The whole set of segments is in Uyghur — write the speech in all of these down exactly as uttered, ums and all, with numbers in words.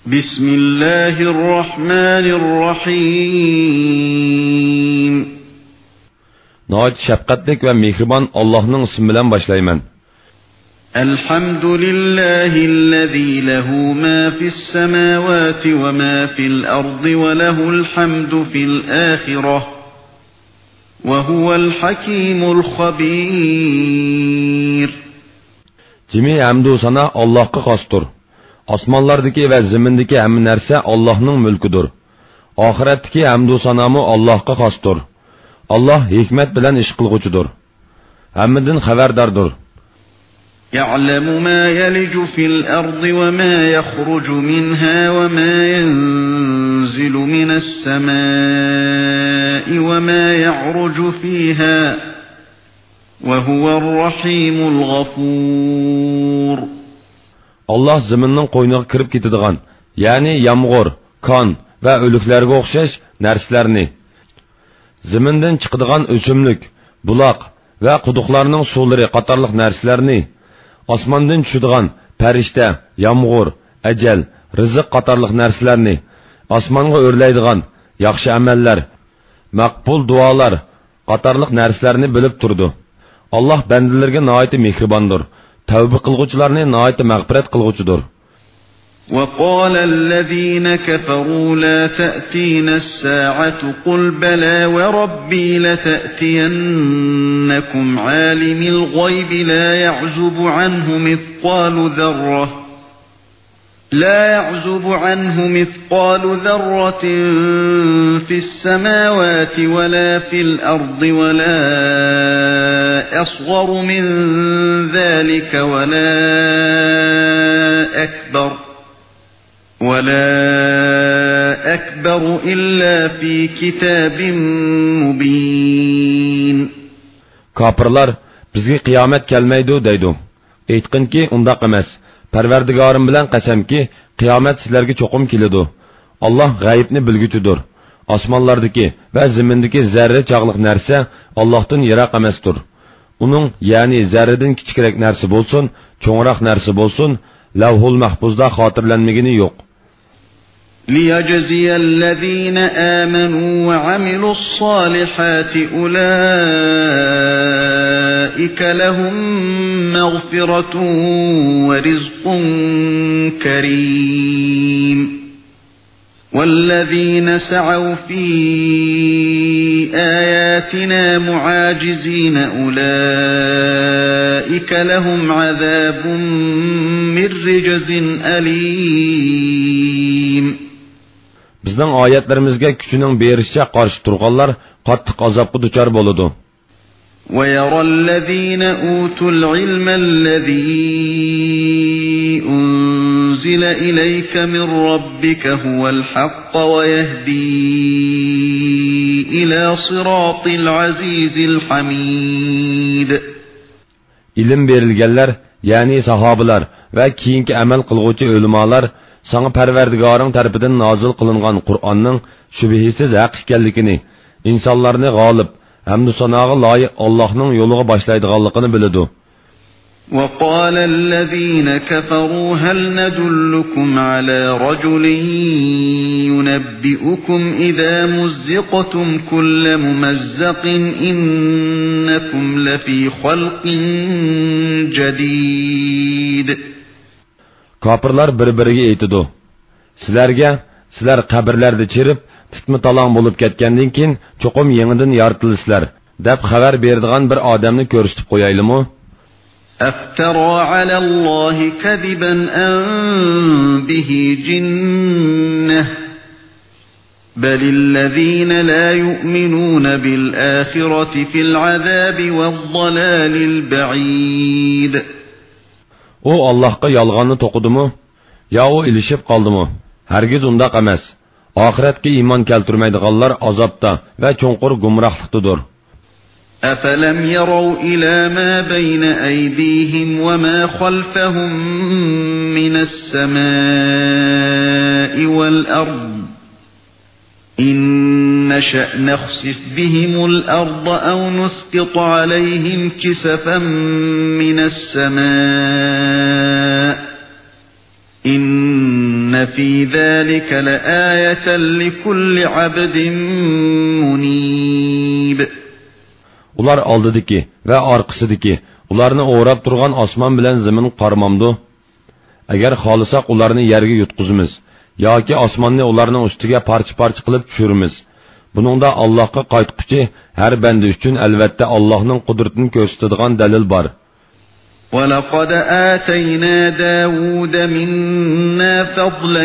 بسم الله الرحمن الرحيم. ناھايىتى شەپقەتلىك ۋە مېھرىبان ئاللاھنىڭ ئىسمى بىلەن باشلايمەن. الحمد لله الذي له ما في السماوات وما في الأرض وله الحمد في الآخرة وهو الحكيم الخبير. جىمى ھەمدۇ سانا ئاللاھقا خاستۇر. ئاسمانلاردىكى ۋە زېمىندىكى ھەممە نەرسە ئاللاھنىڭ مۈلكىدۇر. ئاخىرەتتىكى ھەمدۇ سانامۇ ئاللاھقا خاستۇر. ئاللاھ ھېكمەت بىلەن ئىش قىلغۇچىدۇر. ھەممىدىن خەۋەرداردۇر. يعلم ما يلج في الأرض وما يخرج منها وما ينزل من السماء وما يعرج فيها وهو الرحيم الغفور. ئاللاھ زېمىننىڭ قوينىغا كىرىپ كېتىدىغان، يەنى يامغۇر، كان ۋە ئۆلۈكلەرگە ئوخشاش نەرسىلەرنى، زېمىندىن چىقىدىغان ئۆسۈملۈك، بۇلاق ۋە قۇدۇقلارنىڭ سۇلىرى قاتارلىق نەرسىلەرنى، ئاسماندىن چۈشىدىغان پەرىشتە، يامغۇر، ئەجەل، رىزىق قاتارلىق نەرسىلەرنى، ئاسمانغا ئۆرلەيدىغان ياخشى ئەمەللەر، مەقبۇل دۇئالار قاتارلىق نەرسىلەرنى بىلىپ تۇرىدۇ. ئاللاھ بەندىلىرىگە ناھايىتى مېھرىباندۇر، تەۋبە قىلغۇچىلارنى ناھايىتى مەغپىرەت قىلغۇچىدۇر. وقال الذين كفروا لا تأتينا الساعة قل بلى وربي لتأتينكم عالم الغيب لا يعزب عنه مثقال ذرة لا يعزب عنه مثقال ذرة في السماوات ولا في الأرض ولا أصغر من ذلك ولا أكبر، ولا أكبر إلا في كتاب مبين. كاپىرلار، بىزگە قىيامەت كەلمەيدۇ دەيدۇ. ئېيتقىنكى، ئۇنداق ئەمەس. پەرۋەردىگارىم بىلەن قەسەمكى، قىيامەت سىلەرگە چوقۇم كېلىدۇ. ئاللاھ غەيىبنى بىلگۈچىدۇر. ئاسمانلاردىكى ۋە زېمىندىكى زەررە چاغلىق نەرسە ئاللاھتىن يىراق ئەمەستۇر. ئۇنىڭ، يەنى زەررىدىن كىچىكرەك نەرسە بولسۇن، چوڭراق نەرسە بولسۇن، لەۋھۇل مەھپۇزدا خاتىرىلەنمىگىنى يوق. ليجزي الذين آمنوا وعملوا الصالحات أولئك لهم مغفرة ورزق كريم. والذين سعوا في آياتنا معاجزين أولئك لهم عذاب من رجز أليم. بىزنىڭ ئايەتلىرىمىزگە كۈچىنىڭ بېرىشىچە قارشى تۇرغانلار قاتتىق ئازابقا دۇچار بولىدۇ. ويرى الذين أوتوا العلم الذي أنزل إليك من ربك هو الحق ويهدي إلى صراط العزيز الحميد. ئىلىم بېرىلگەنلەر، يەنى ساھابىلار ۋە كېيىنكى ئەمەل قىلغۇچى ئۆلىمالار ساڭا پەرۋەردىگارىڭ تەرىپىدىن نازىل قىلىنغان قۇرئاننىڭ شۈبھىسىز ھەق ئىكەنلىكىنى، ئىنسانلارنى غالىب، ھەمدۇ ساناغا لايىق ئاللاھنىڭ يولىغا باشلايدىغانلىقىنى بىلىدۇ. وقال الذين كفروا هل ندلكم على رجل ينبئكم إذا مزقتم كل ممزق إنكم لفي خلق جديد. كاپىرلار بىر-بىرىگە ئېيتىدۇ، سىلەرگە، سىلەر قەبرىلەردە چىرىپ، تىتما-تالاڭ بولۇپ كەتكەندىن كېيىن چوقۇم يېڭىدىن يارىتىلىسىلەر، دەپ خەۋەر بېرىدىغان بىر ئادەمنى كۆرسىتىپ قويايلىمۇ؟ أفترى على الله كذبا أم به جنة بل الذين لا يؤمنون بالآخرة في العذاب والضلال البعيد. ئۇ ئاللاھقا يالغاننى توقۇدىمۇ؟ يا ئۇ ئېلىشىپ قالدىمۇ؟ ھەرگىز ئۇنداق ئەمەس. ئاخىرەتكە ئىمان كەلتۈرمەيدىغانلار ئازابتا ۋە چوڭقۇر گۇمراھلىقتىدۇر. أفلم يروا إلى ما بين أيديهم وما خلفهم من السماء والأرض إن نشأ نخسف بهم الأرض أو نسقط عليهم كسفا من السماء إن في ذلك لآية لكل عبد منيب. ئۇلار ئالدىدىكى ۋە ئارقىسىدىكى، ئۇلارنى ئوراپ تۇرغان ئاسمان بىلەن زېمىن قارىمامدۇ؟ ئەگەر خالىساق، ئۇلارنى يەرگە يۇتقۇزىمىز ياكى ئاسماننى ئۇلارنىڭ ئۈستىگە پارچە-پارچە قىلىپ چۈشۈرىمىز. بۇنىڭدا ئاللاھقا قايتقۇچى ھەر بەندە ئۈچۈن ئەلۋەتتە ئاللاھنىڭ قۇدرىتىنى كۆرسىتىدىغان دەلىل بار. ولقد آتينا داود منا فضلا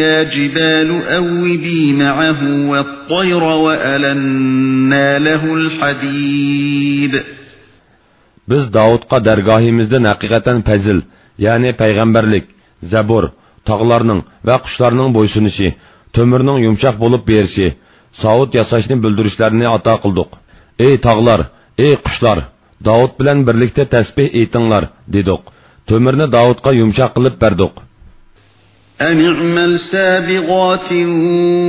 يا جبال أوبي معه والطير وألنا له الحديد. بىز داۋۇتقا دەرگاھىمىزدىن ھەقىقەتەن پەزىل، يەنى پەيغەمبەرلىك، زەبۇر، تاغلارنىڭ ۋە قۇشلارنىڭ بويسۇنۇشى، تۆمۈرنىڭ يۇمشاق بولۇپ بېرىشى، ساۋۇت ياساشنى بىلدۈرۈشلەرنى ئاتا قىلدۇق. ئەي تاغلار، ئەي قۇشلار، داۋۇت بىلەن بىرلىكتە تەسبىھ ئېيتىڭلار، دېدۇق. تۆمۈرنى داۋۇتقا يۇمشاق قىلىپ بەردۇق. أن اعمل سابغات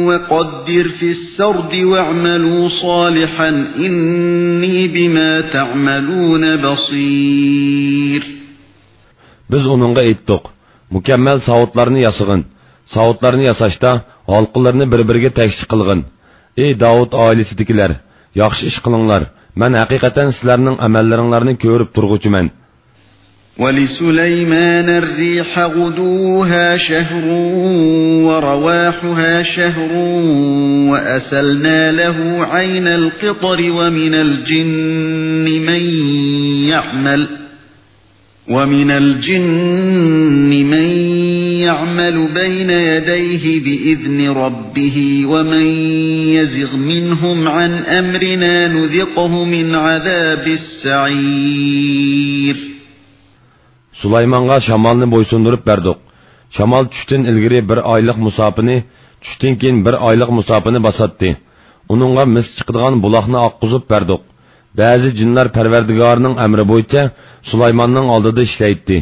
وقدر في السرد واعملوا صالحا إني بما تعملون بصير. بىز ئۇنىڭغا ئېيتتۇق: مۇكەممەل ساۋۇتلارنى ياسىغىن. ساۋۇتلارنى ياساشتا ھالقىلىرىنى بىر-بىرىگە تەكشى قىلغىن. ئەي داۋۇت ئائىلىسىدىكىلەر، ياخشى ئىش قىلىڭلار. مەن ھەقىقەتەن سىلەرنىڭ ئەمەللىرىڭلارنى كۆرۈپ تۇرغۇچىمەن. ولسليمان الريح غدوها شهر ورواحها شهر وأسلنا له عين القطر ومن الجن من يعمل ومن الجن من يعمل بين يديه بإذن ربه ومن يزغ منهم عن أمرنا نذقه من عذاب السعير. سۇلايمانغا شامالنى بويسۇندۇرۇپ بەردۇق. شامال چۈشتىن ئىلگىرى بىر ئايلىق مۇساپىنى، چۈشتىن كېيىن بىر ئايلىق مۇساپىنى باساتتى. ئۇنىڭغا مىس چىقىدىغان بۇلاقنى ئاققۇزۇپ بەردۇق. بەزى جىنلار پەرۋەردىگارىنىڭ ئەمرى بويىچە سۇلايماننىڭ ئالدىدا ئىشلەيتتى.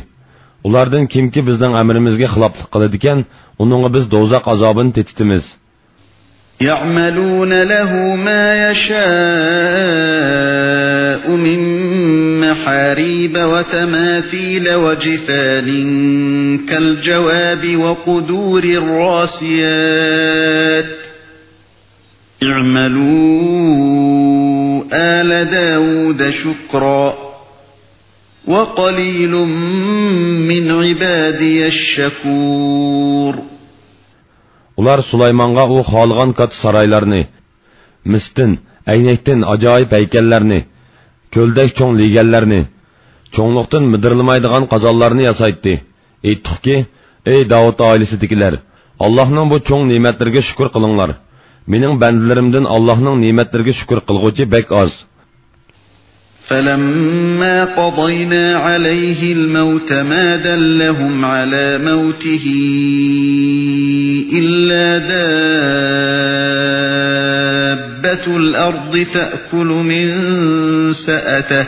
ئۇلاردىن كىمكى بىزنىڭ ئەمرىمىزگە خىلاپلىق قىلىدىكەن، ئۇنىڭغا بىز دوزاخ ئازابىنى تېتىتىمىز. يعملون له ما يشاء من محاريب وتماثيل وجفان كالجواب وقدور الراسيات. اعملوا آل داود شكرا وقليل من عبادي الشكور. ئۇلار سۇلايمانغا ئۇ خالىغان كاتتا سارايلارنى، مىستىن، ئەينەكتىن ئاجايىپ ھەيكەللەرنى، كۆلدەك چوڭ لېگەنلەرنى، چوڭلۇقتىن مىدىرلىمايدىغان قازانلارنى ياسايتتى. ئېيتتۇقكى: ئەي داۋۇت ئائىلىسىدىكىلەر، ئاللاھنىڭ بۇ چوڭ نېمەتلىرىگە شۈكۈر قىلىڭلار. مېنىڭ بەندىلىرىمدىن ئاللاھنىڭ نېمەتلىرىگە شۈكۈر قىلغۇچى بەك ئاز. فلما قضينا عليه الموت ما دلهم على موته إلا دابة الأرض تأكل من سأته.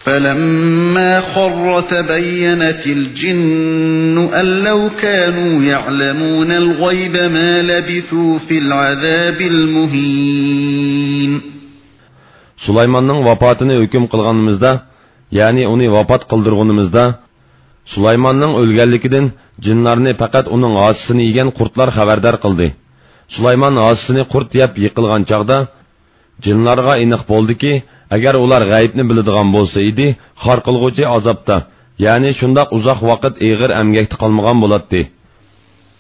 فلما خر تبينت الجن أن لو كانوا يعلمون الغيب ما لبثوا في العذاب المهين. سۇلايماننىڭ ۋاپاتىنى ھۆكۈم قىلغىنىمىزدا، يەنى ئۇنى ۋاپات قىلدۇرغىنىمىزدا، سۇلايماننىڭ ئۆلگەنلىكىدىن جىنلارنى پەقەت ئۇنىڭ ھاسىسىنى يېگەن قۇرتلار خەۋەردار قىلدى. سۇلايمان ھاسىسىنى قۇرت يەپ يىقىلغان چاغدا، جىنلارغا ئېنىق بولدىكى، ئەگەر ئۇلار غەيىبنى بىلىدىغان بولسا ئىدى، خار قىلغۇچى ئازابتا، يەنى شۇنداق ئۇزاق ۋاقىت ئېغىر ئەمگەكتە قالمىغان بولاتتى.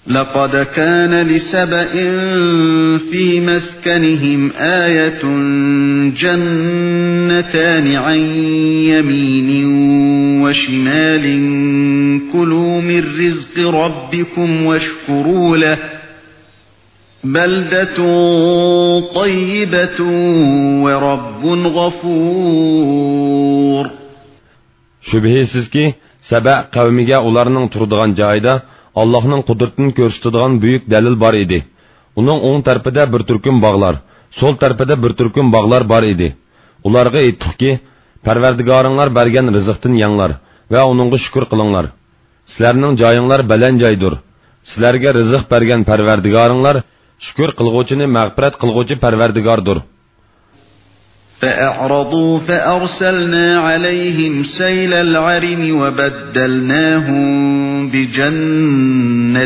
لقد كان لسبإ في مسكنهم آية جنتان عن يمين وشمال كلوا من رزق ربكم واشكروا له بلدة طيبة ورب غفور. شۈبھىسىزكى، سەبە قەۋمىگە ئۇلارنىڭ تۇرىدىغان جايىدا ئاللاھنىڭ قۇدرىتىنى كۆرسىتىدىغان بۈيۈك دەلىل بار ئىدى. ئۇنىڭ ئوڭ تەرىپىدە بىر تۈركۈم باغلار، سول تەرىپىدە بىر تۈركۈم باغلار بار ئىدى. ئۇلارغا ئېيتتۇقكى، پەرۋەردىگارىڭلار بەرگەن رىزىقتىن يەڭلار ۋە ئۇنىڭغا شۈكۈر قىلىڭلار. سىلەرنىڭ جايىڭلار بەلەن جايدۇر. سىلەرگە رىزىق بەرگەن پەرۋەردىگارىڭلار شۈكۈر قىلغۇچىنى مەغپىرەت قىلغۇچى پەرۋەردىگاردۇر. فأعرضوا فأرسلنا عليهم سيل العرم وبدلناهم بجنتيهم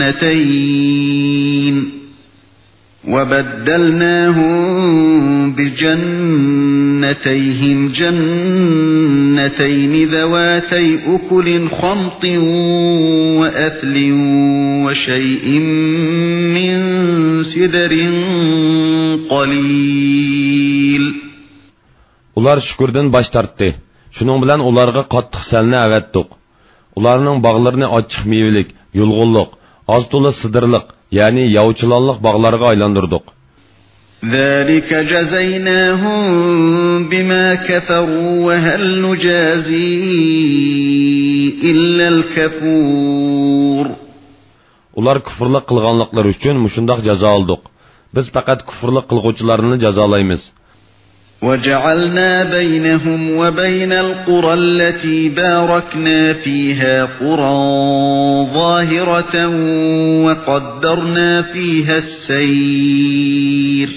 جنتين وبدلناهم بجنتيهم جنتين ذواتي أكل خمط وأثل وشيء من سدر قليل. ئۇلار شۈكۈردىن باش تارتتى. شۇنىڭ بىلەن ئۇلارغا قاتتىق سەلنى ئەۋەتتۇق. ئۇلارنىڭ باغلىرىنى ئاچچىق مېۋىلىك، يۇلغۇنلۇق، ئاز-تولا سىدىرلىق، يەنى ياۋا چىلانلىق باغلارغا ئايلاندۇردۇق. ذلك جزيناهم بما كفروا وهل نجازي إلا الكفور. ئۇلار كۇفرلۇق قىلغانلىقلىرى ئۈچۈن مۇشۇنداق جازالىدۇق. بىز پەقەت كۇفرلۇق قىلغۇچىلارنىلا جازالايمىز. وجعلنا بينهم وبين القرى التي باركنا فيها قرى ظاهرة وقدرنا فيها السير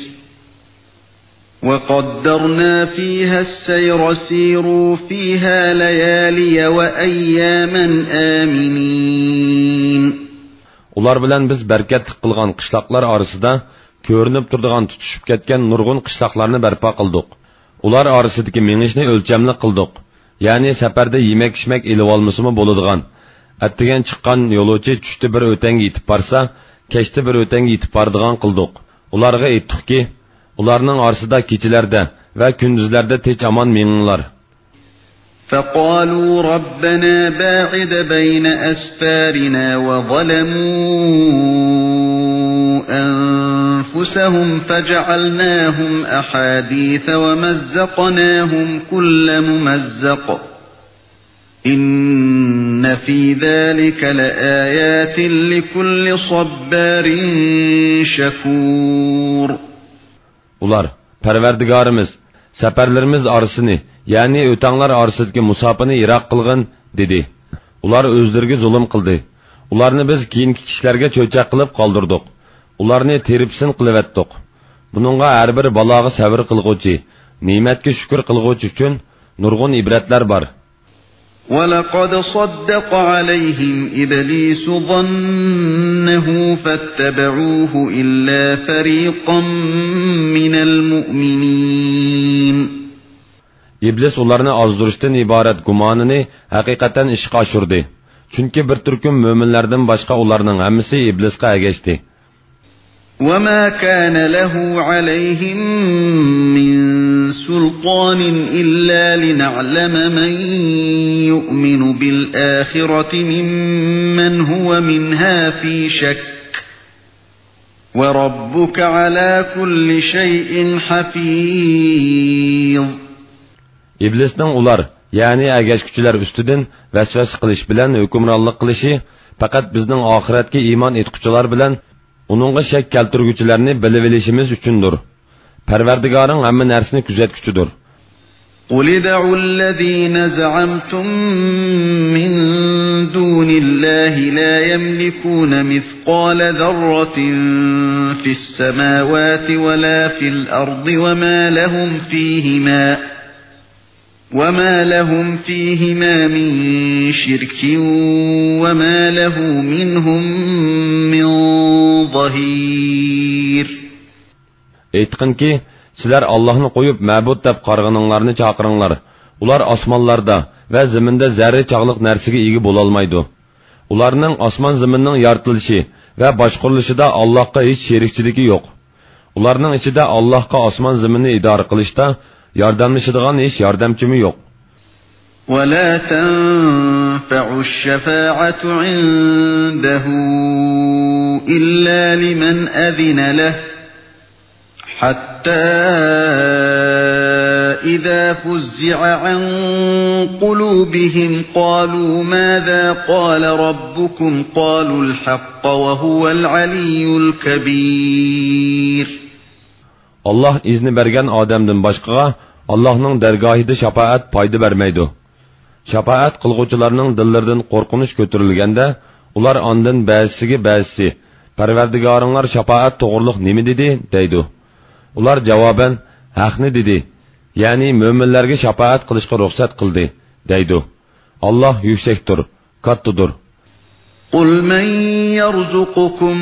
وقدرنا فيها السير سيروا فيها ليالي وأياما آمنين. ئۇلار بىلەن بىز بەرىكەتلىك قىلغان قىشلاقلار ئارىسىدا كۆرۈنۈپ تۇرىدىغان تۇتىشىپ كەتكەن نۇرغۇن قىشلاقلارنى بەرپا قىلدۇق. ئۇلار ئارىسىدىكى مېڭىشنى ئۆلچەملىك قىلدۇق. يەنى سەپەردە يېمەك-ئىچمەك ئېلىۋالمىسىمۇ بولىدىغان، ئەتىگەن چىققان يولۇچى چۈشتە بىر ئۆتەڭگە يېتىپ بارسا، كەچتە بىر ئۆتەڭگە يېتىپ بارىدىغان قىلدۇق. ئۇلارغا ئېيتتۇقكى، ئۇلارنىڭ ئارىسىدا كېچىلەردە ۋە كۈندۈزلەردە تىنچ-ئامان مېڭىڭلار. فقالوا ربنا باعد بين أسفارنا وظلموا أنفسهم فجعلناهم أحاديث ومزقناهم كل ممزق إن في ذلك لآيات لكل صبار شكور. ئۇلار، پەرۋەردىگارىمىز، سەپەرلىرىمىز ئارىسىنى، يەنى ئۆتەڭلار ئارىسىدىكى مۇساپىنى يىراق قىلغىن، دېدى. ئۇلار ئۆزلىرىگە زۇلۇم قىلدى. ئۇلارنى بىز كېيىنكى كىشىلەرگە چۆچەك قىلىپ قالدۇردۇق. ئۇلارنى تېرىپسىن قىلىۋەتتۇق. بۇنىڭغا ھەر بىر بالاغا سەۋر قىلغۇچى، نېمەتكە شۈكۈر قىلغۇچى ئۈچۈن نۇرغۇن ئىبرەتلەر بار. ولقد صدق عليهم إبليس ظنه فاتبعوه إلا فريقا من المؤمنين. ئىبلىس ئۇلارنى ئازدۇرۇشتىن ئىبارەت گۇمانىنى ھەقىقەتەن ئىشقا ئاشۇردى. چۈنكى بىر تۈركۈم مۆمىنلەردىن باشقا ئۇلارنىڭ ھەممىسى ئىبلىسقا ئەگەشتى. وما كان له عليهم من سلطان إلا لنعلم من يؤمن بالآخرة ممن هو منها في شك وربك على كل شيء حفيظ. ئىبلىسنىڭ ئۇلار، يەنى ئەگەشكۈچىلەر ئۈستىدىن ۋەسۋەسە قىلىش بىلەن ھۆكۈمرانلىق قىلىشى پەقەت بىزنىڭ ئاخىرەتكە ئىمان ئېيتقۇچىلار بىلەن ئۇنىڭغا شەك كەلتۈرگۈچىلەرنى بىلىۋېلىشىمىز ئۈچۈندۇر. پەرۋەردىگارىڭ ھەممە نەرسىنى كۆزەتكۈچىدۇر. قل ادعوا الذين زعمتم من دون الله لا يملكون مثقال ذرة في السماوات ولا في الأرض وما لهم فيهما وما لهم فيهما من شرك وما له منهم من ظهير. ئېيتقىنكى، سىلەر ئاللاھنى قويۇپ مەبۇد دەپ قارىغىنىڭلارنى چاقىرىڭلار. ئۇلار ئاسمانلاردا ۋە زېمىندا زەررە چاغلىق نەرسىگە ئىگە بولالمايدۇ. ئۇلارنىڭ ئاسمان زېمىننىڭ يارىتىلىشى ۋە باشقۇرۇلۇشىدا ئاللاھقا ھېچ شېرىكچىلىكى يوق. ئۇلارنىڭ ئىچىدە ئاللاھقا ئاسمان زېمىننى ئىدارە قىلىشتا ياردەملىشىدىغان ھېچ ياردەمچىمۇ يوق. ولا تنفع الشفاعة عنده إلا لمن أذن له حتى إذا فزع عن قلوبهم قالوا ماذا قال ربكم قالوا الحق وهو العلي الكبير. ئاللاھ ئىزنى بەرگەن ئادەمدىن باشقىغا ئاللاھنىڭ دەرگاھىدا شاپائەت پايدا بەرمەيدۇ. شاپائەت قىلغۇچىلارنىڭ دىللىرىدىن قورقۇنچ كۆتۈرۈلگەندە، ئۇلار ئاندىن بەزىسىگە بەزىسى، پەرۋەردىگارىڭلار شاپائەت توغرۇلۇق نېمە دېدى؟ دەيدۇ. ئۇلار جاۋابەن، ھەقنى دېدى، يەنى مۆمىنلەرگە شاپائەت قىلىشقا رۇخسەت قىلدى، دەيدۇ. ئاللاھ يۈكسەكتۇر، كاتتىدۇر. قل من يرزقكم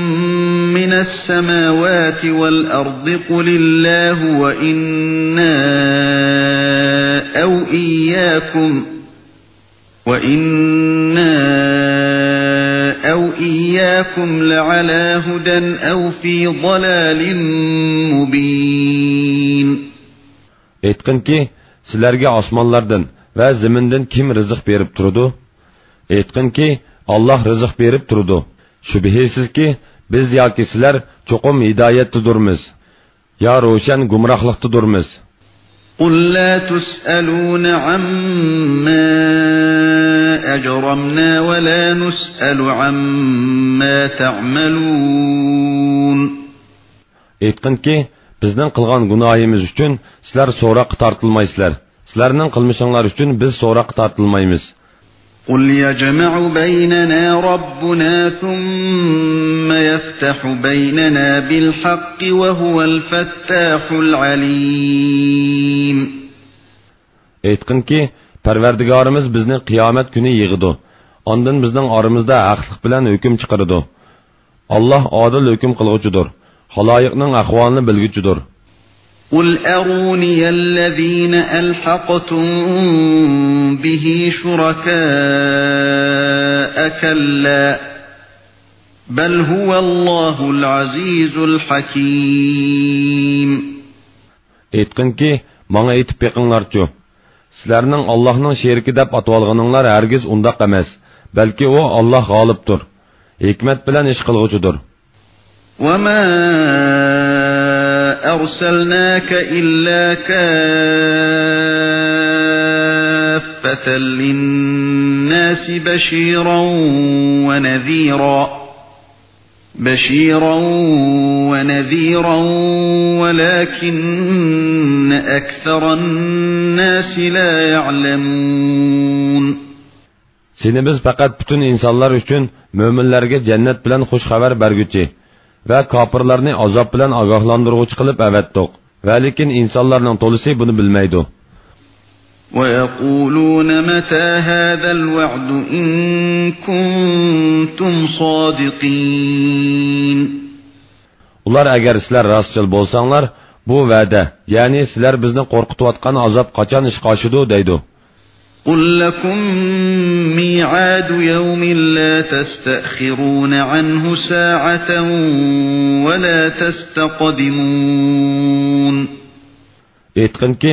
من السماوات والأرض قل الله وإنا أو إياكم وإنا أو إياكم لعلى هدى أو في ضلال مبين. ئېيتقىنكى، سىلەرگە ئاسمانلاردىن ۋە زېمىندىن كىم رىزىق بېرىپ تۇرىدۇ؟ ئېيتقىنكى، ئاللاھ رىزىق بېرىپ تۇرىدۇ. شۈبھىسىزكى، بىز ياكى سىلەر چوقۇم ھىدايەتتىدۇرمىز، يا روشەن گۇمراھلىقتىدۇرمىز. قل لا تسألون عما أجرمنا ولا نسأل عما تعملون. ئېيتقىنكى، بىزنىڭ قىلغان گۇناھىمىز ئۈچۈن سىلەر سوراققا تارتىلمايسىلەر، سىلەرنىڭ قىلمىشىڭلار ئۈچۈن بىز سوراققا تارتىلمايمىز. قل يجمع بيننا ربنا ثم يفتح بيننا بالحق وهو الفتاح العليم. ئېيتقىنكى، پەرۋەردىگارىمىز بىزنى قىيامەت كۈنى يىغىدۇ. ئاندىن بىزنىڭ ئارىمىزدا ھەقلىق بىلەن ھۆكۈم چىقىرىدۇ. ئاللاھ ئادىل ھۆكۈم قىلغۇچىدۇر، خالايىقنىڭ ئەھۋالىنى بىلگۈچىدۇر. قل أروني الذين ألحقتم به شركاء كلا بل هو الله العزيز الحكيم. ئېيتقىنكى، ماڭا ئېيتىپ بېقىڭلارچۇ، سىلەرنىڭ ئاللاھنىڭ شېرىكى دەپ ئاتىۋالغىنىڭلار ھەرگىز ئۇنداق ئەمەس، بەلكى ئۇ ئاللاھ غالىبتۇر، ھېكمەت بىلەن ئىش قىلغۇچىدۇر. وما أرسلناك إلا كافة للناس بشيرا ونذيرا بشيرا ونذيرا ولكن أكثر الناس لا يعلمون. سېنى بىز پەقەت پۈتۈن ئىنسانلار ئۈچۈن مۆمىنلەرگە جەننەت بىلەن خۇش خەۋەر بەرگۈچى ۋە كاپىرلارنى ئازاب بىلەن ئاگاھلاندۇرغۇچى قىلىپ ئەۋەتتۇق. ۋەلىكىن ئىنسانلارنىڭ تولىسى بۇنى بىلمەيدۇ. ويقولون متى هذا الوعد إن كنتم صادقين. ئۇلار، ئەگەر سىلەر راستچىل بولساڭلار، بۇ ۋەدە، يەنى سىلەر بىزنى قورقۇتۇۋاتقان ئازاب قاچان ئىشقا ئاشىدۇ؟ دەيدۇ. قل لكم ميعاد يوم لا تستأخرون عنه ساعة ولا تستقدمون. ئېيتقىنكى،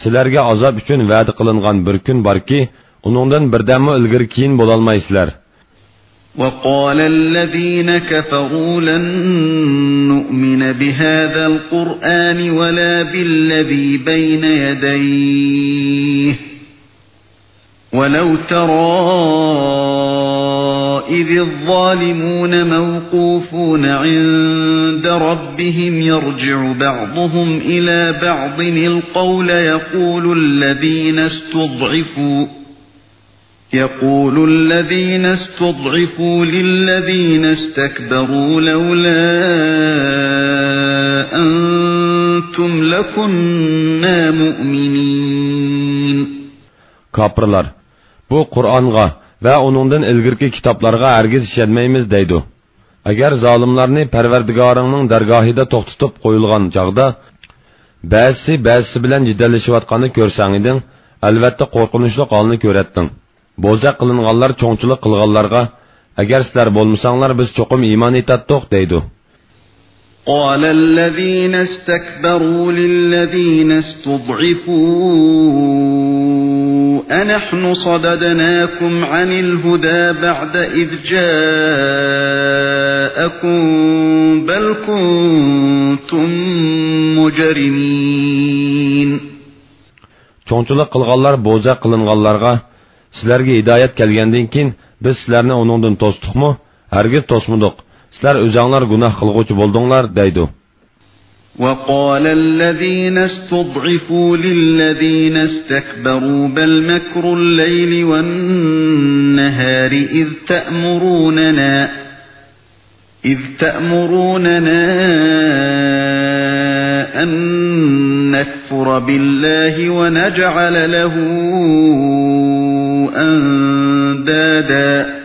سىلەرگە ئازاب ئۈچۈن ۋەدە قىلىنغان بىر كۈن باركى، ئۇنىڭدىن بىردەممۇ ئىلگىرى كېيىن بولالمايسىلەر. وقال الذين كفروا لن نؤمن بهذا القرآن ولا بالذي بين يديه ولو ترى إذ الظالمون موقوفون عند ربهم يرجع بعضهم إلى بعض القول يقول الذين استضعفوا يقول الذين استضعفوا للذين استكبروا لولا أنتم لكنا مؤمنين. كاپىرلار، بۇ قۇرئانغا ۋە ئۇنىڭدىن ئىلگىرىكى كىتابلارغا ھەرگىز ئىشەنمەيمىز دەيدۇ. ئەگەر زالىملارنى پەرۋەردىگارىڭنىڭ دەرگاھىدا توختىتىپ قويۇلغان چاغدا، بەزىسى بەزىسى بىلەن جېدەللىشىۋاتقاننى كۆرسەڭ ئىدىڭ، ئەلۋەتتە قورقۇنچلۇق ھالنى كۆرەتتىڭ. بوزەك قىلىنغانلار چوڭچىلىق قىلغانلارغا، ئەگەر سىلەر بولمىساڭلار، بىز چوقۇم ئىمان ئېيتاتتۇق دەيدۇ. قال الذين استكبروا للذين استضعفوا أنحن صددناكم عن الهدى بعد إذ جاءكم بل كنتم مجرمين. چوڭچىلىق قىلغانلار بوزەك قىلىنغانلارغا، سىلەرگە ھىدايەت كەلگەندىن كېيىن بىز سىلەرنى ئۇنىڭدىن توستۇقمۇ؟ ھەرگىز توسمىدۇق. سىلەر ئۆزەڭلار گۇناھ قىلغۇچى بولدۇڭلار دەيدۇ. وقال الذين استضعفوا للذين استكبروا بل مكر الليل والنهار إذ تأمروننا إذ تأمروننا أن نكفر بالله ونجعل له أندادا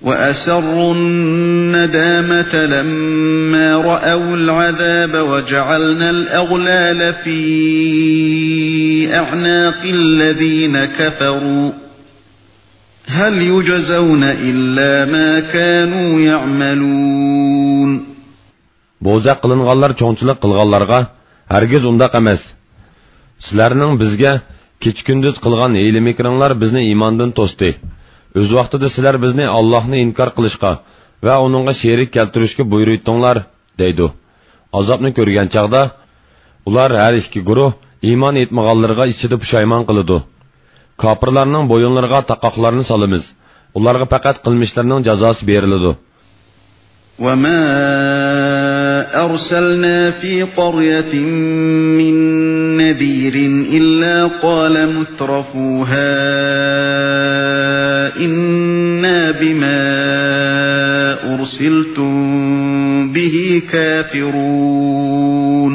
وأسروا الندامة لما رأوا العذاب وجعلنا الأغلال في أعناق الذين كفروا هل يجزون إلا ما كانوا يعملون. بوزەك قىلىنغانلار چوڭچىلىق قىلغانلارغا، ھەرگىز ئۇنداق ئەمەس. سىلەرنىڭ بىزگە كېچە-كۈندۈز قىلغان ھىيلە-مىكرىڭلار بىزنى ئىماندىن توستى. ئۆز ۋاقتىدا سىلەر بىزنى ئاللاھنى ئىنكار قىلىشقا ۋە ئۇنىڭغا شېرىك كەلتۈرۈشكە بۇيرۇيتتۇڭلار، دەيدۇ. ئازابنى كۆرگەن چاغدا، ئۇلار ھەر ئىككى گۇرۇھ ئىمان ئېيتمىغانلىرىغا ئىچىدە پۇشايمان قىلىدۇ. كاپىرلارنىڭ بويۇنلىرىغا تاقاقلارنى سالىمىز. ئۇلارغا پەقەت قىلمىشلىرىنىڭ جازاسى بېرىلىدۇ. وما أرسلنا في قرية من نذير إلا قال مترفوها إنا بما أرسلتم به كافرون.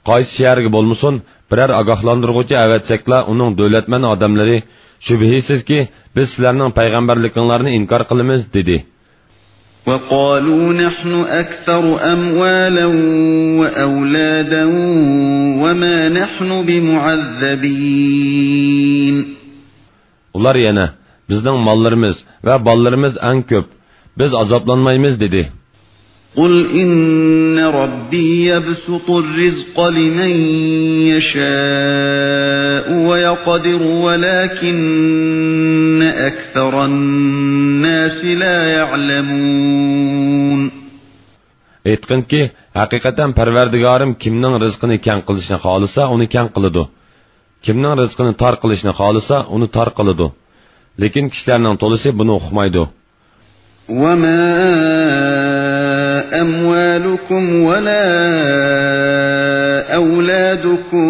قايسى شەھەرگە بولمىسۇن، بىرەر ئاگاھلاندۇرغۇچى ئەۋەتسەكلا، ئۇنىڭ دۆلەتمەن ئادەملىرى، شۈبھىسىزكى، بىز سىلەرنىڭ پەيغەمبەرلىكىڭلارنى ئىنكار قىلىمىز، دېدى. وقالوا نحن أكثر أموالا وأولادا وما نحن بمعذبين. ئۇلار يەنە، بىزنىڭ ماللىرىمىز ۋە بالىلىرىمىز ئەڭ كۆپ، بىز ئازابلانمايمىز، دېدى. قل إن ربي يبسط الرزق لمن يشاء ويقدر ولكن أكثر الناس لا يعلمون. ئېيتقىنكى، ھەقىقەتەن پەرۋەردىگارىم كىمنىڭ رىزقىنى كەڭ قىلىشنى خالىسا، ئۇنى كەڭ قىلىدۇ. كىمنىڭ رىزقىنى تار قىلىشنى خالىسا، ئۇنى تار قىلىدۇ. لېكىن كىشىلەرنىڭ تولىسى بۇنى ئۇقمايدۇ. وما أموالكم ولا أولادكم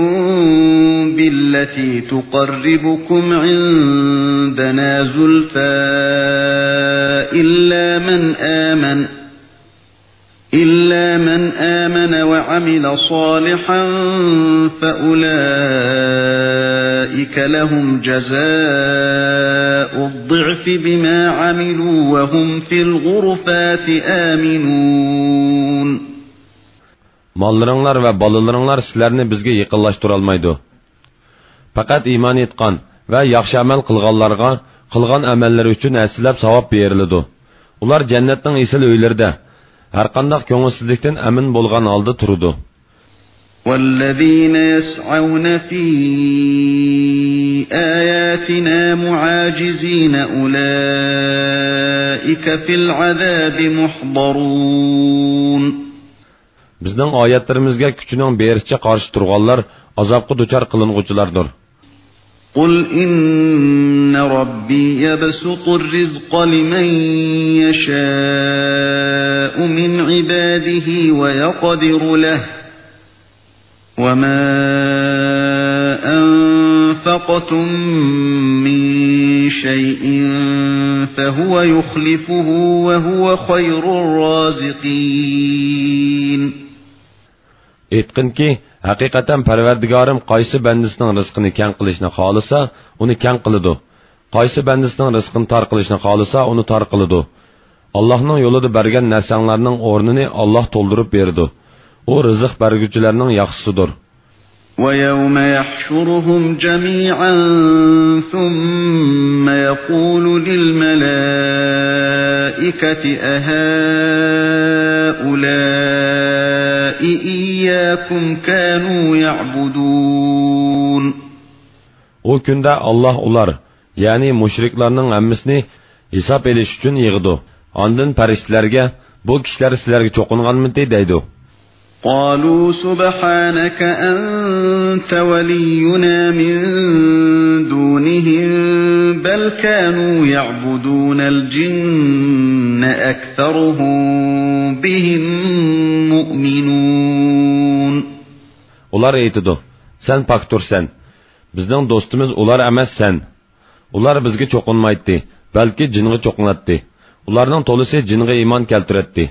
بالتي تقربكم عندنا زلفى إلا من آمن إلا من آمن وعمل صالحا فأولئك لهم جزاء الضعف بما عملوا وهم في الغرفات آمنون. ماللىرىڭلار ۋە بالىلىرىڭلار سىلەرنى بىزگە يېقىنلاشتۇرالمايدۇ. پەقەت ئىمان ئېيتقان ۋە ياخشى ئەمەل قىلغانلارغا قىلغان ئەمەللىرى ئۈچۈن ھەسسىلەپ ساۋاب بېرىلىدۇ. ئۇلار جەننەتنىڭ ئېسىل ئۆيلىرىدە، ھەرقانداق كۆڭۈلسىزلىكتىن ئەمىن بولغان ھالدا تۇرىدۇ. والذين يسعون في آياتنا معاجزين أولئك في العذاب محضرون. بىزنىڭ ئايەتلىرىمىزگە كۈچىنىڭ بېرىچە قارشى تۇرغانلار ئازابقا دۇچار قىلىنغۇچىلاردۇر. قل إن ربي يبسط الرزق لمن يشاء من عباده ويقدر له وما أنفقتم من شيء فهو يخلفه وهو خير الرازقين. ئېيتقىنكى، ھەقىقەتەن پەرۋەردىگارىم قايسى بەندىسىنىڭ رىزقىنى كەڭ قىلىشنى خالىسا، ئۇنى كەڭ قىلىدۇ. قايسى بەندىسىنىڭ رىزقىنى تار قىلىشنى خالىسا، ئۇنى تار قىلىدۇ. ئاللاھنىڭ يولىدا بەرگەن نەرسەڭلارنىڭ ئورنىنى ئاللاھ تولدۇرۇپ بېرىدۇ. ئۇ رىزىق بەرگۈچىلەرنىڭ ياخشىسىدۇر. ويوم يحشرهم جميعا ثم يقول للملائكة أهؤلاء إياكم كانوا يعبدون. ئۇ كۈندە ئاللاھ ئۇلار، يەنى مۇشرىكلارنىڭ ھەممىسىنى ھېساب ئېلىش ئۈچۈن يىغىدۇ. ئاندىن پەرىشتىلەرگە، بۇ كىشىلەر سىلەرگە چوقۇنغانمىدى؟ دەيدۇ. قالوا سبحانك أنت ولينا من دونهم بل كانوا يعبدون الجن أكثرهم بهم مؤمنون. ئۇلار ئېيتىدۇ، سەن پاكتۇرسەن. بىزنىڭ دوستىمىز ئۇلار ئەمەس، سەن. ئۇلار بىزگە چوقۇنمايتتى، بەلكى جىنغا چوقۇناتتى. ئۇلارنىڭ تولىسى جىنغا ئىمان كەلتۈرەتتى.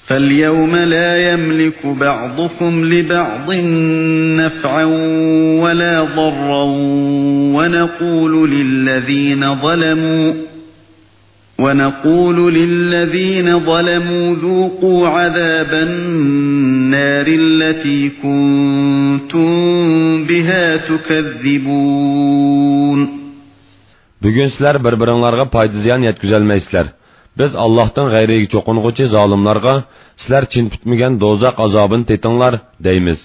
فاليوم لا يملك بعضكم لبعض نفعا ولا ضرا ونقول للذين ظلموا ونقول للذين ظلموا ذوقوا عذاب النار التي كنتم بها تكذبون. بۈگۈن سىلەر بىر-بىرىڭلارغا پايدا-زىيان يەتكۈزەلمەيسىلەر. بىز ئاللاھتىن غەيرىگە چوقۇنغۇچى زالىملارغا، سىلەر چىن پۈتمىگەن دوزاخ ئازابىنى تېتىڭلار، دەيمىز.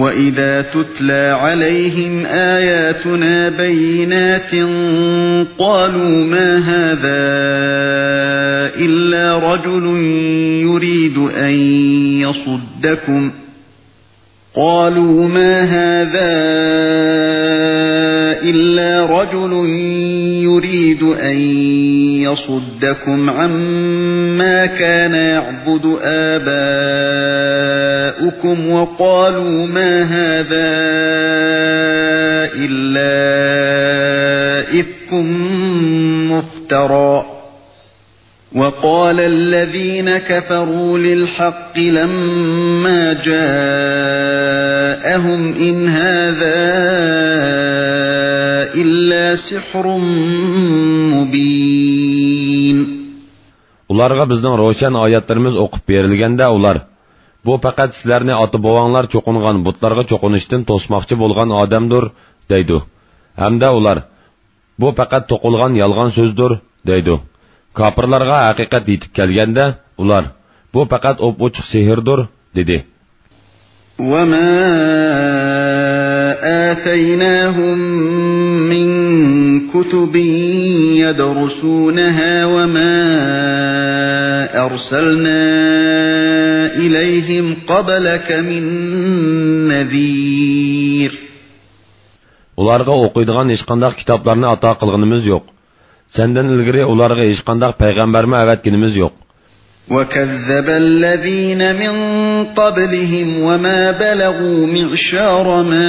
وَإِذَا تُتْلَىٰ عَلَيْهِمْ آيَاتُنَا بَيِّنَاتٍ قَالُوا مَا هَٰذَا إِلَّا رَجُلٌ يُرِيدُ أَن يَصُدَّكُمْ قَالُوا مَا هَٰذَا إِلَّا رَجُلٌ يُرِيدُ أَن يَصُدَّكُمْ عَمَّا كَانَ يَعْبُدُ آبَاؤُكُمْ وَقَالُوا مَا هَٰذَا إِلَّا إِفْكٌ مُّفْتَرًى. وَقَالَ الَّذِينَ كَفَرُوا لِلْحَقِّ لَمَّا جَاءَهُمْ إِنْ هَٰذَا إِلَّا سِحْرٌ مُّبِينٌ. ئۇلارغا بىزنىڭ روشەن ئايەتلىرىمىز ئوقۇپ بېرىلگەندە ئۇلار، بۇ پەقەت سىلەرنى ئاتا-بوۋاڭلار چوقۇنغان بۇتلارغا چوقۇنۇشتىن توسماقچى بولغان ئادەمدۇر، دەيدۇ. ھەمدە ئۇلار، بۇ پەقەت توقۇلغان يالغان سۆزدۇر، دەيدۇ. كاپىرلارغا ھەقىقەت يېتىپ كەلگەندە، ئۇلار، بۇ پەقەت ئوپئوچۇق سېھىردۇر، دېدى. وَمَا آتَيْنَاهُم مِّن كُتُبٍ يَدْرُسُونَهَا وَمَا أَرْسَلْنَا إِلَيْهِمْ قَبْلَكَ مِن نَّذِيرٍ. ئۇلارغا ئوقۇيدىغان ھېچقانداق كىتابلارنى ئاتا قىلغىنىمىز يوق. سەندىن ئىلگىرى ئۇلارغا ھېچقانداق پەيغەمبەرمۇ ئەۋەتكىنىمىز يوق. وَكَذَّبَ الَّذِينَ مِن قَبْلِهِمْ وَمَا بَلَغُوا مِعْشَارَ مَا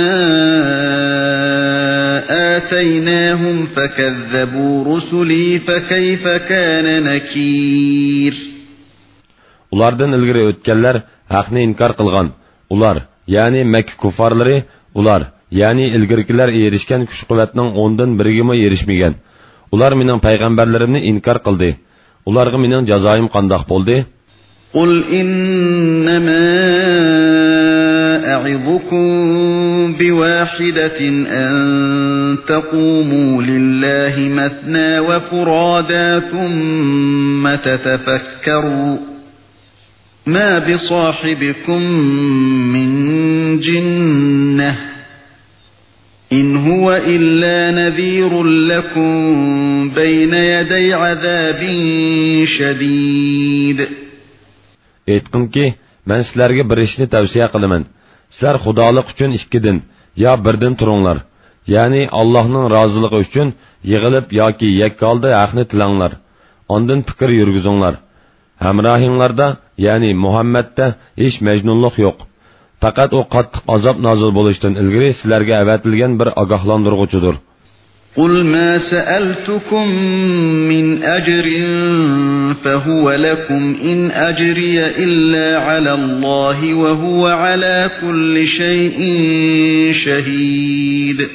آتَيْنَاهُمْ فَكَذَّبُوا رُسُلِي فَكَيْفَ كَانَ نَكِيرِ. ئۇلاردىن ئىلگىرى ئۆتكەنلەر ھەقنى ئىنكار قىلغان. ئۇلار، يەنى مەككە كۇففارلىرى، ئۇلار، يەنى ئىلگىرىكىلەر ئېرىشكەن كۈچ-قۇۋۋەتنىڭ ئوندىن بىرىگىمۇ ئېرىشمىگەن. ئۇلار مېنىڭ پەيغەمبەرلىرىمنى ئىنكار قىلدى. ئۇلارغا مېنىڭ جازايىم قانداق بولدى؟ قُلْ إِنَّمَا أَعِظُكُم بِوَاحِدَةٍ أَن تَقُومُوا لِلَّهِ مَثْنَىٰ وَفُرَادَىٰ ثُمَّ تَتَفَكَّرُوا مَا بِصَاحِبِكُم مِّن جِنَّةٍ إِنْ هُوَ إِلَّا نَذِيرٌ لَّكُم بَيْنَ يَدَيْ عَذَابٍ شَدِيدٍ. ئېيتقىنكى، مەن سىلەرگە بىر ئىشنى تەۋسىيە قىلىمەن. سىلەر خۇدالىق ئۈچۈن ئىككىدىن يا بىردىن تۇرۇڭلار. يەنى ئاللاھنىڭ رازىلىقى ئۈچۈن يىغىلىپ ياكى يەككە ھالدا ھەقنى تىلەڭلار. ئاندىن پىكىر يۈرگۈزۈڭلار. ھەمراھىڭلاردا، يەنى مۇھەممەدتە ھېچ مەجنۇنلۇق يوق. پەقەت ئۇ قاتتىق ئازاب نازىل بولۇشتىن ئىلگىرى سىلەرگە ئەۋەتىلگەن بىر ئاگاھلاندۇرغۇچىدۇر. قُلْ مَا سَأَلْتُكُم مِّنْ أَجْرٍ فَهُوَ لَكُمْ إِنْ أَجْرِيَ إِلَّا عَلَى اللَّهِ وَهُوَ عَلَىٰ كُلِّ شَيْءٍ شَهِيدٌ.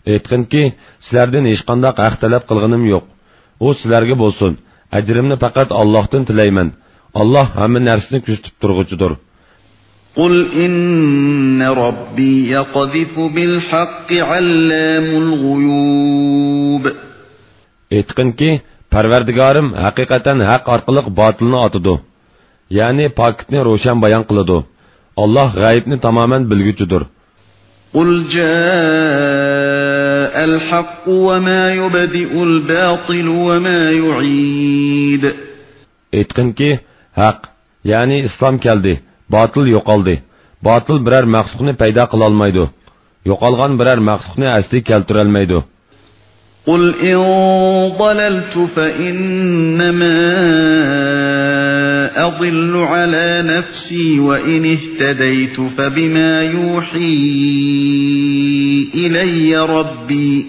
ئېيتقىنكى، سىلەردىن ھېچقانداق ھەق تەلەپ قىلغىنىم يوق. ئۇ سىلەرگە بولسۇن. ئەجرىمنى پەقەت ئاللاھتىن تىلەيمەن. ئاللاھ ھەممە نەرسىنى كۆزىتىپ تۇرغۇچىدۇر. قُلْ إِنَّ رَبِّي يَقْذِفُ بِالْحَقِّ عَلَّامُ الْغُيُوبِ. ئېيتقىنكى، پەرۋەردىگارىم ھەقىقەتەن ھەق ئارقىلىق باتىلنى ئاتىدۇ. يەنى پاكىتنى روشەن بايان قىلىدۇ. ئاللاھ غەيىبنى تامامەن بىلگۈچىدۇر. قُلْ جَاءَ الْحَقُّ وَمَا يُبْدِئُ الْبَاطِلُ وَمَا يُعِيدُ. ئېيتقىنكى، ھەق، يەنى ئىسلام كەلدى، باتىل يوقالدى. باتىل بىرەر مەخلۇقنى پەيدا قىلالمايدۇ. يوقالغان بىرەر مەخلۇقنى ئەسلىگە كەلتۈرەلمەيدۇ. قُلْ إِن ضَلَلْتُ فَإِنَّمَا أَضِلُّ عَلَىٰ نَفْسِي وَإِنِ اهْتَدَيْتُ فَبِمَا يُوحِي إِلَيَّ رَبِّي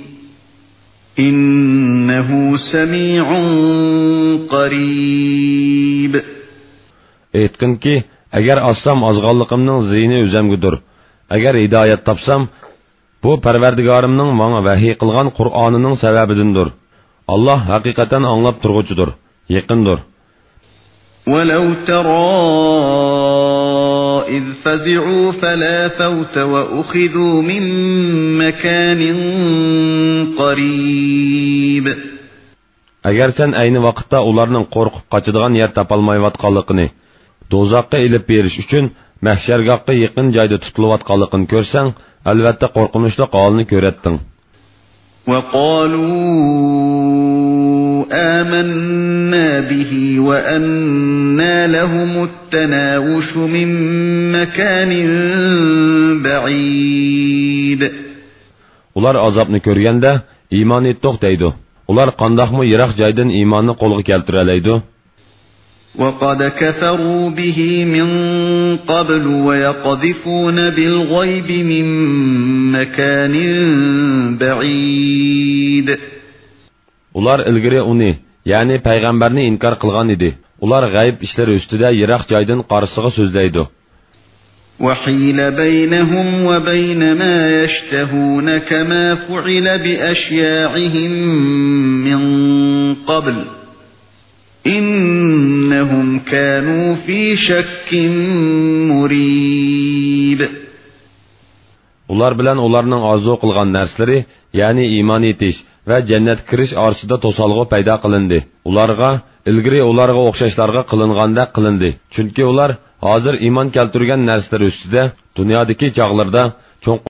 إِنَّهُ سَمِيعٌ قَرِيبٌ. ئېيتقىنكى، ئەگەر ئازسام ئازغانلىقىمنىڭ زىيىنى ئۆزەمگىدۇر. ئەگەر ھىدايەت تاپسام، بۇ پەرۋەردىگارىمنىڭ ماڭا ۋەھىي قىلغان قۇرئانىنىڭ سەۋەبىدىندۇر. ئاللاھ ھەقىقەتەن ئاڭلاپ تۇرغۇچىدۇر، يېقىندۇر. ولو ترى إذ فزعوا فلا فوت وأخذوا من مكان قريب. ئەگەر سەن ئەينى ۋاقىتتا ئۇلارنىڭ قورقۇپ قاچىدىغان يەر تاپالمايۋاتقانلىقىنى، دوزاخقا ئېلىپ بېرىش ئۈچۈن مەھشەرگاھقا يېقىن جايدا تۇتۇلۇۋاتقانلىقىنى كۆرسەڭ، ئەلۋەتتە قورقۇنچلۇق ھالنى كۆرەتتىڭ. وقالوا آمنا به وأنى لهم التناوش من مكان بعيد. ئۇلار ئازابنى كۆرگەندە، ئىمان ئېيتتۇق دەيدۇ. ئۇلار قانداقمۇ يىراق جايدىن ئىماننى قولغا كەلتۈرەلەيدۇ؟ وقد كفروا به من قبل ويقذفون بالغيب من مكان بعيد. ئۇلار ئىلگىرى ئۇنى، يەنى پەيغەمبەرنى ئىنكار قىلغان ئىدى. ئۇلار غەيىب ئىشلىرى ئۈستىدە يىراق جايدىن قارىسىغا سۆزلەيدۇ. وحيل بينهم وبين ما يشتهون كما فعل بأشياعهم من قبل إنهم كانوا في شك مريب. ئۇلار بىلەن ئۇلارنىڭ ئارزۇ قىلغان نەرسىلىرى، يەنى ئىمان ئېيتىش ۋە جەننەتكە كىرىش ئارىسىدا توسالغۇ پەيدا قىلىندى. ئۇلارغا، ئىلگىرى ئۇلارغا ئوخشاشلارغا قىلىنغاندەك قىلىندى. چۈنكى ئۇلار ھازىر ئىمان كەلتۈرگەن نەرسىلىرى ئۈستىدە دۇنيادىكى چاغلىرىدا چوڭقۇر